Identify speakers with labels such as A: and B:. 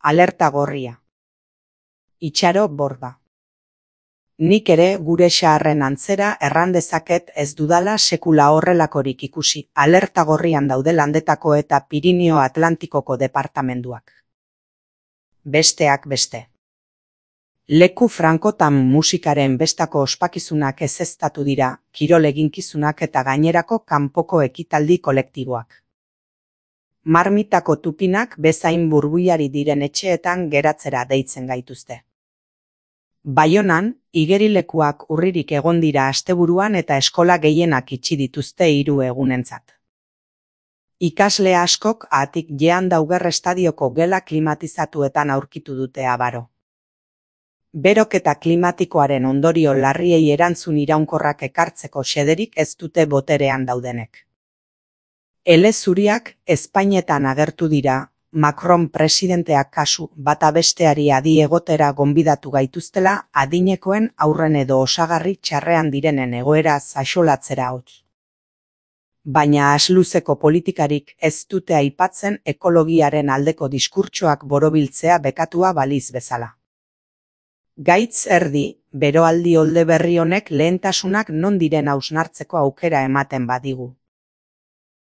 A: Alerta gorria. Itxaro borda. Nik ere gure xaharren antzera erran dezaket ez dudala sekula horrelakorik ikusi, alerta gorrian daude Landetako eta Pirinio Atlantikoko departamenduak. Besteak beste. Leku frankotan musikaren bestako ospakizunak ezeztatu dira, kirol eginkizunak eta gainerako kanpoko ekitaldi kolektiboak. Marmitako tupinak bezain burbuiari diren etxeetan geratzera deitzen gaituzte. Baionan, igerilekuak urririk egon dira asteburuan eta eskola gehienak itxi dituzte 3 egunentzat. Ikasle askok atik jean dauger estadioko gela klimatizatuetan aurkitu dute abaro. Beroketa klimatikoaren ondorio larriei erantzun iraunkorrak ekartzeko xederik ez dute boterean daudenek. Ele zuriak Espainetan agertu dira, Macron presidenteak kasu bata besteari adi egotera gonbidatu gaituztela adinekoen aurren edo osagarri txarrean direnen egoera zaxolatzera hotz. Baina asluzeko politikarik ez dute aipatzen ekologiaren aldeko diskurtsoak borobiltzea bekatua baliz bezala. Gaitz erdi, beroaldi olde berri honek lehentasunak non diren hausnartzeko aukera ematen badigu.